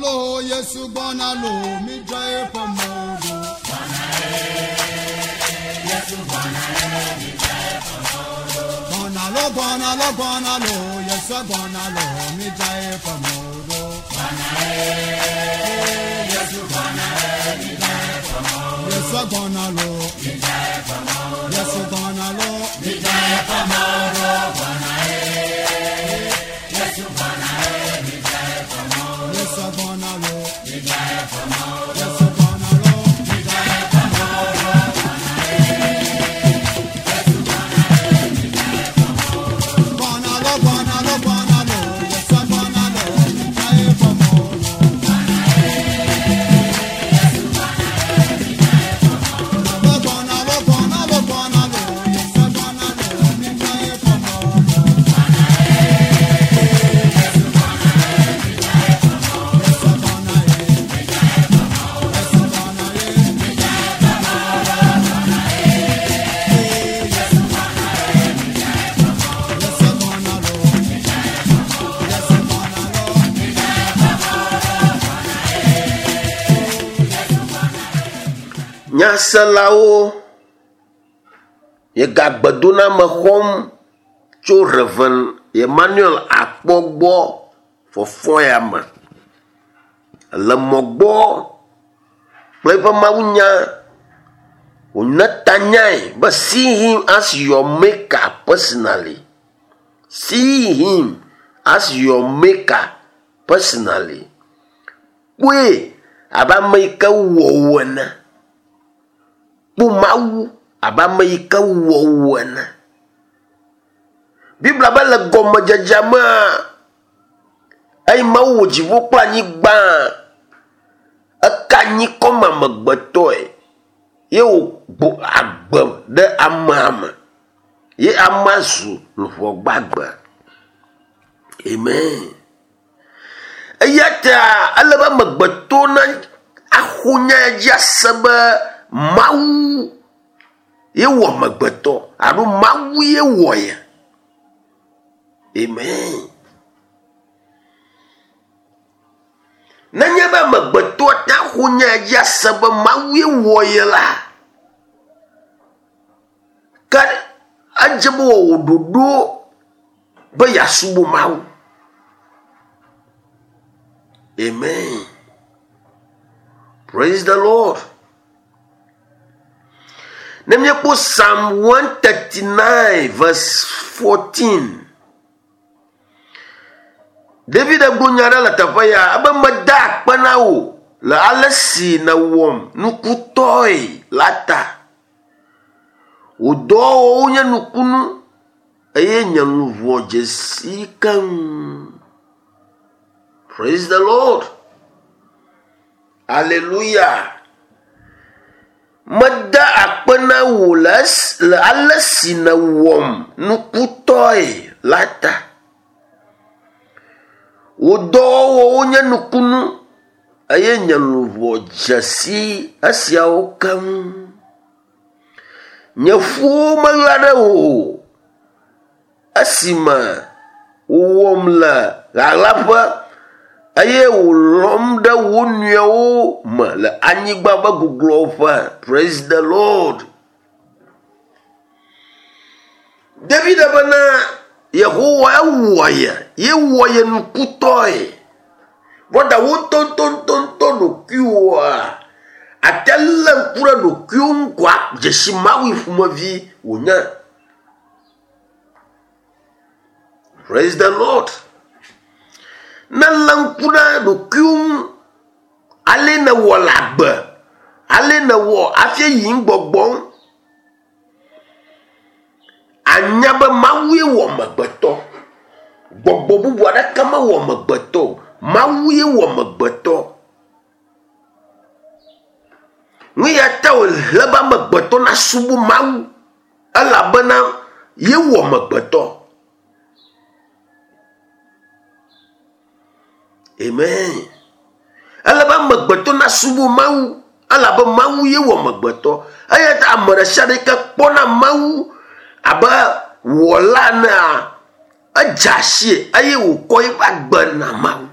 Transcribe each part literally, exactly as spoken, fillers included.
lo, Yesu gbɔna lo, midzra eƒe mɔwo ɖo. Gbɔna lo, gbɔna lo, gbɔna lo, Yesu gbɔna lo, midzra eƒe mɔwo ɖo. Yesu gbɔna lo, Yesu gbɔna lo, midzra eƒe mɔwo ɖo. Yesu gbɔna lo, Yesu gbɔna lo, midzra eƒe mɔwo ɖo. Gbɔna lo, gbɔna lo, gbɔna lo, Yesu gbɔna lo, midzra eƒe mɔwo ɖo. Gbɔna lo, gbɔna lo, gbɔna lo, Yesu gbɔna lo, midzra eƒe mɔwo ɖo. Yesu gbɔna ye, Yesu gbɔna ye, midzra eƒe mɔwo ɖo. Yesu Yesu gbɔna lo, Yesu gbɔna lo, midzra eƒe mɔwo ɖo. Nyaselawo, miegagbe doname xɔm tso Reverend Emmanuel Akpɔ gbɔ fɔfɔ ya me. Le mɔ gbɔ kple eƒe mawunya wòne tanyae be see him as your maker personally. See him as your maker personally. Kpɔe abe ame yi ke wɔ wò ene. Kpɔ Mawu abe ame yi ke wɔ wò ene. Biblia be le gɔmedzedzea mea, eyi Mawu wɔ dziƒo kple anyigba, eka anyi kɔme amegbetɔe ye wògbo agbe ɖe amea me ye amea zu luʋɔ gbagbe. Amen. Eya ta ele be amegbetɔ na axɔ nya ya dzi ase be Mawu ye wɔ amegbetɔ alo Mawu ye wɔ ye. Amen. Nenye be amegbetɔ ate axɔ nya ya dzi ase be Mawu ye wɔ ye la, ke edze be wòwɔ ɖoɖo be yeasubɔ Mawu. Amen. Praise the Lord. Ne míekpɔ Psalm one thirty nine verse fourteen. David egblɔ nya ɖe le teƒe ya ebe meda akpe na wò le ale si nèwɔm nukutɔe la ta. Wò dɔwɔwɔwo nye nukunu eye nye luʋɔ dze si keŋ. Praise the Lord. Hallelujah. Meda akpe na wò le es-, le ale si nèwɔm nukutɔe la ta. Wò dɔwɔwɔwo nye nukunu eye nye luʋɔ dze si esiawo keŋ. Nye ƒuwo meɣla ɖe wò o esime wòwɔm le ɣaɣlaƒe eye wòlɔm ɖe wo nɔewo me le anyigba ƒe gugluawo ƒe. Praise the Lord. David bena Yehowa ewɔ ye, ye wɔ ye nukutɔe. Vɔ da wo ŋutɔŋutɔŋutɔ ɖokuiwoa, ate lé ŋku ɖe ɖokuiwo ŋu koa dzesi Mawu ƒomevi wònye. Praise the Lord. Ne lé ŋku ɖe ɖokuiwo ŋu, ale nèwɔ le agbe, ale nèwɔ hafi yi ŋgbɔgbɔm, anya be Mawue wɔ amegbetɔ. Gbɔgbɔ bubu aɖeke mewɔ amegbetɔ o. Mawue wɔ amegbetɔ. Nu ya ta wòle be amegbetɔ nasubɔ Mawu elabena ye wɔ amegbetɔ. Amen. Ele be amegbetɔ nasubɔ Mawu elabe Mawu ye wɔ amegbetɔ. Eya ta ame ɖe sia ɖe yi ke kpɔna Mawu abe wɔla enea, edze asie eye wòkɔ eƒe agbe na Mawu.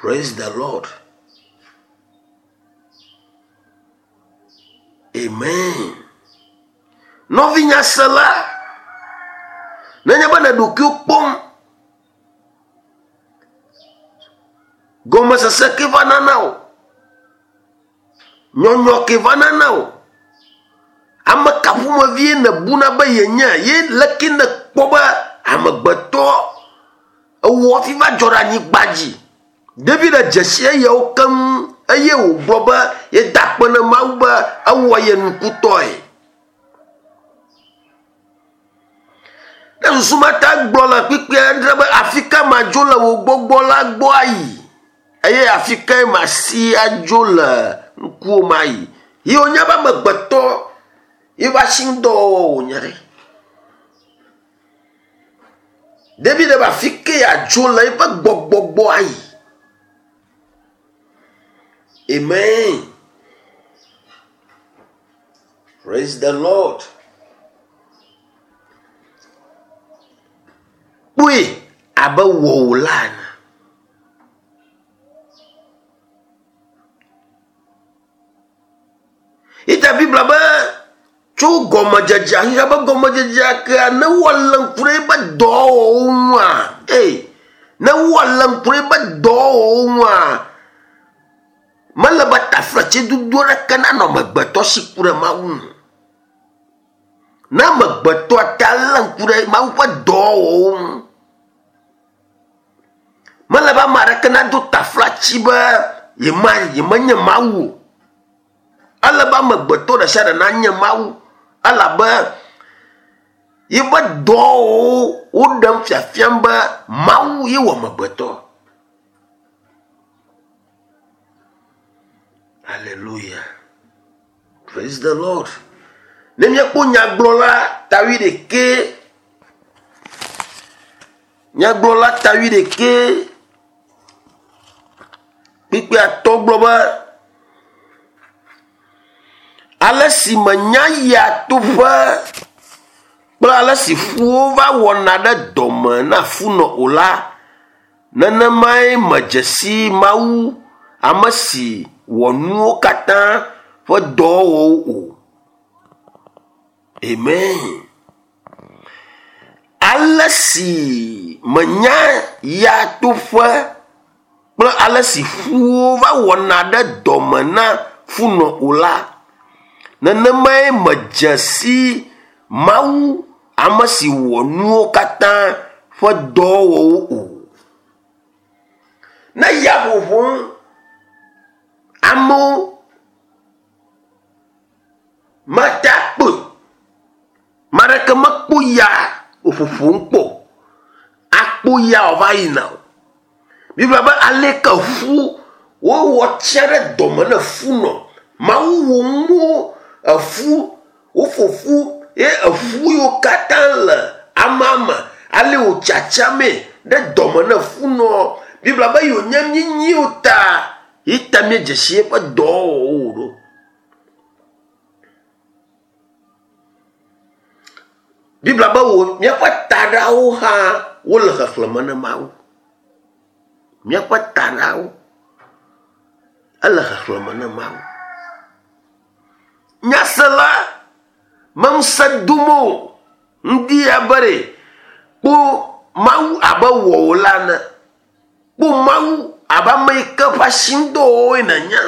Praise the Lord. Amen. Nɔvinyasela, nenye be ne ɖokuiwo kpɔm, gɔmesese ke va nana o, nyɔnyɔ ke va nana o, ame ka ƒomevie nèbuna be yenye ye leke nèkpɔ be amegbetɔ ewɔ hafi va dzɔ ɖe anyigba dzi. David dze si eyawo keŋ eye wògblɔ be yeda akpe na Mawu be ewɔ ye nukutɔe. Ne susu ma ta gblɔ le kpikpi aɖe be afi ka madzo le wò gbɔgbɔ la gbɔ ayi eye afi kae masi adzo le ŋkuwò me ayi. Ye wònye be amegbetɔ ye va si ŋudɔwɔwɔ wònye ɖe. David be afi ke yeadzo le eƒe gbɔgbɔ gbɔ ayi. Amen. Praise the Lord. Kpɔe abe wɔwòla ene. Ita Biblia be tso gɔmedzedzea xexea be gɔmedzedzea kea ne woalé ŋku ɖe eƒe dɔwɔwɔwo ŋua, ee, ne woalé ŋku ɖe eƒe dɔwɔwɔwo ŋua, mele be taflatsedodo aɖeke nanɔ amegbetɔ si ku ɖe Mawu ŋu. Ne amegbetɔ ta lé ŋku ɖe Mawu ƒe dɔwɔwɔwo ŋu, mele be ame aɖeke nado taflatsi be yema yemenye Mawu o. Ele be amegbetɔ ɖe sia ɖe nanye Mawu elabe yeƒe dɔwɔwɔwo woɖem fiafiam be Mawu ye wɔ amegbetɔ. Hallelujah. Praise the Lord. Ne míekpɔ nyagblɔla ta wuiɖekɛ, nyagblɔla ta wuiɖekɛ, kpikpi atɔ̃ gblɔ be ale si menya yia toƒe kple ale si ƒuwo va wɔna ɖe dɔme na funɔ o la, nenemae medze si Mawu, ame si wɔ nuwo katã ƒe dɔwɔwɔwo o. Amen. Ale si menya yia toƒe kple ale si ƒuwo va wɔna ɖe dɔme na funɔ o la, nenemae medze si Mawu, ame si wɔ nuwo katã ƒe dɔwɔwɔwo o. Ne ya ƒoƒom, amewo mate akpɔe. Ame aɖeke mekpɔ ya wòƒoƒom kpɔ o. Akpɔ ya wòva yina o. Biblia be aleke ƒu wowɔ tsia ɖe dɔme ne funɔ. Mawu wɔ nuwo eƒu woƒo ƒu ye eƒu yiwo katã le amea me ale wòtsatsame ɖe dɔme ne funɔ. Biblia be yewònye míenyiwo ta ye ta míedze si eƒe dɔwɔwɔwo ɖo. Biblia be wo míaƒe taɖawo hã wole xexlẽme ne Mawu. Míaƒe taɖawo ele xexlẽme ne Mawu. Nyasela meŋusẽ dom o. Ŋdi ya be ɖe kpɔ Mawu abe wɔwòla ene. Kpɔ Mawu abe ame yi ke ƒe asi ŋudɔwɔwɔe nènye.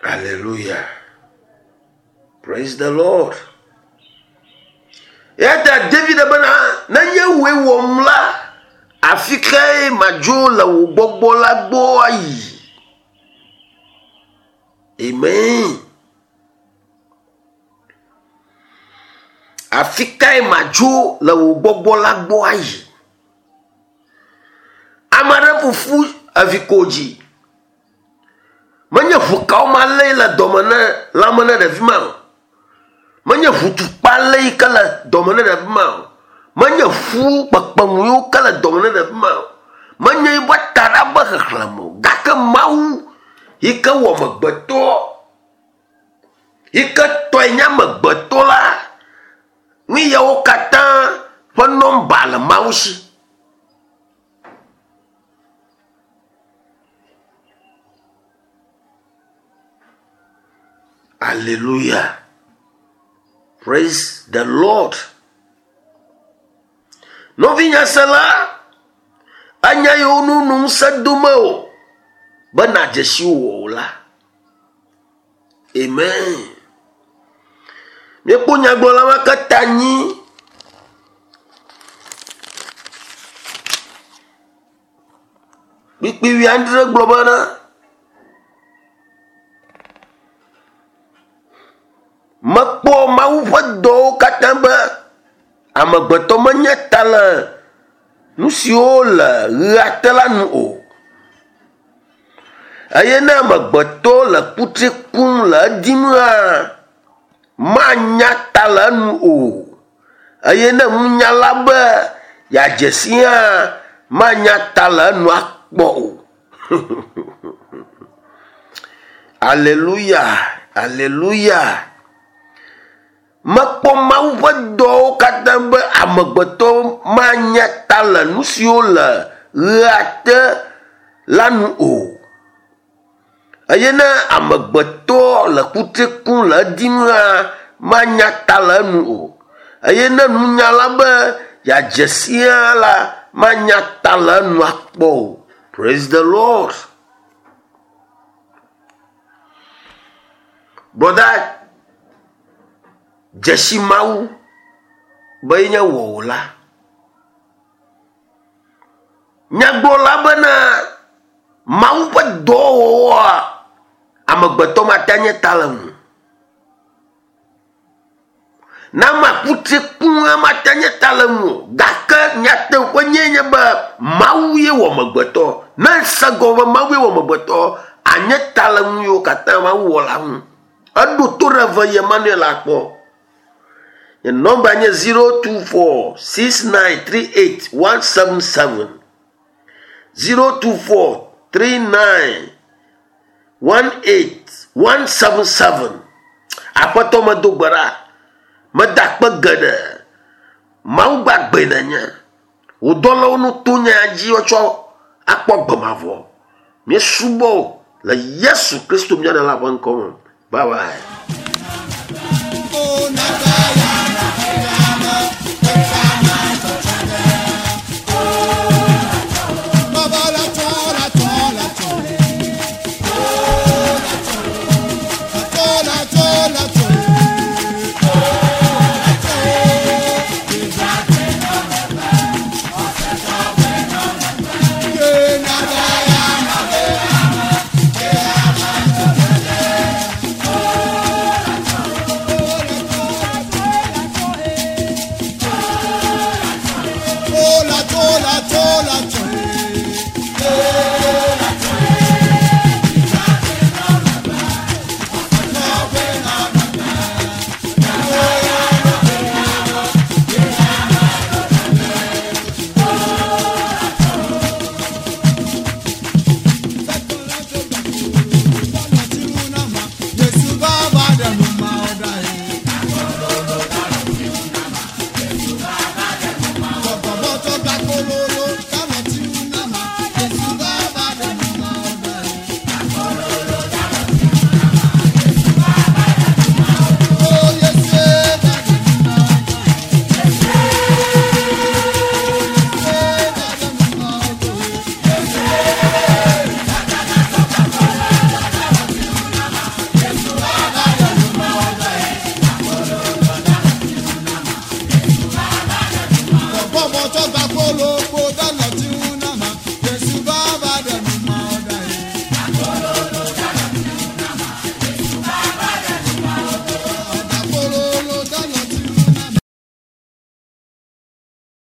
Hallelujah. Praise the Lord. Eya ta David bena nenye wòe wɔm la, afi kae madzo le wò gbɔgbɔ la gbɔ ayi? Amen. Afi kae madzo le wò gbɔgbɔ la gbɔ ayi? Ame aɖe ƒoƒu evi ko dzi. Menye ʋukawo malé le dɔme ne lãme ne ɖevi ma o. Menye ʋutukpa lé yi ke le dɔme ne ɖevi ma o. Menye ƒu kpekpemu yiwo ke le dɔme ne ɖevi ma o. Menye eƒe taɖa be xexlẽme o. Gake Mawu yi ke wɔ amegbetɔ, yi ke tɔe nye amegbetɔ la, nu yawo katã ƒe nɔmba le Mawu Mawu si. Hallelujah. Praise the Lord. Nɔvinyasela, anya yiwo nu nu ŋusẽ dome o be nàdze si wò la. Amen. Míekpɔ nyagblɔla ma ke ta anyi. Kpikpi wuiadre gblɔ bena mekpɔ Mawu ƒe dɔwo katã be amegbetɔ menye ta le nu siwo le ɣea te la nu o. Eye ne amegbetɔ le kutri kum le edim hã, manya ta le enu o. Eye ne nunyala be yeadze si hã, manya ta le enu akpɔ o. Hallelujah, hallelujah. Mekpɔ Mawu ƒe dɔwo katã be amegbetɔ manya ta le nu siwo le ɣea te la nu o. Eye ne amegbetɔ le kutri kum le edim hã, manya ta le enu o. Eye ne nunyala be yeadze si hã la, manya ta le enu akpɔ o. Praise the Lord. Brother, dzesi Mawu be yenye wɔwòla. Nyagblɔla bena Mawu ƒe dɔwɔwɔa, amegbetɔ mate nye ta le ŋu. Ne ame akutri kum hã mate nye ta le ŋu o. Gake nyateƒe nye nye be Mawu ye wɔ amegbetɔ. Ne ese gɔme be Mawu ye wɔ amegbetɔ, anye ta le ŋu yiwo katã Mawu wɔ la ŋu. Eɖo to ɖe eve Emmanuel akpɔ. Nye nɔmba nye zero two four six nine three eight one seven seven zero two four three nine one eight one seven seven. Aƒetɔ medo gbe ɖa. Meda akpe geɖe. Mawu gbagbe nenye. Wò dɔlawo nu to nya dzi woatsɔ akpɔ gbe mavɔ. Míesubɔ le Yesu Kristo mía Ɖela ƒe ŋkɔ me. Bye bye. Oh, Bọ́bọ̀ tó gba kóló.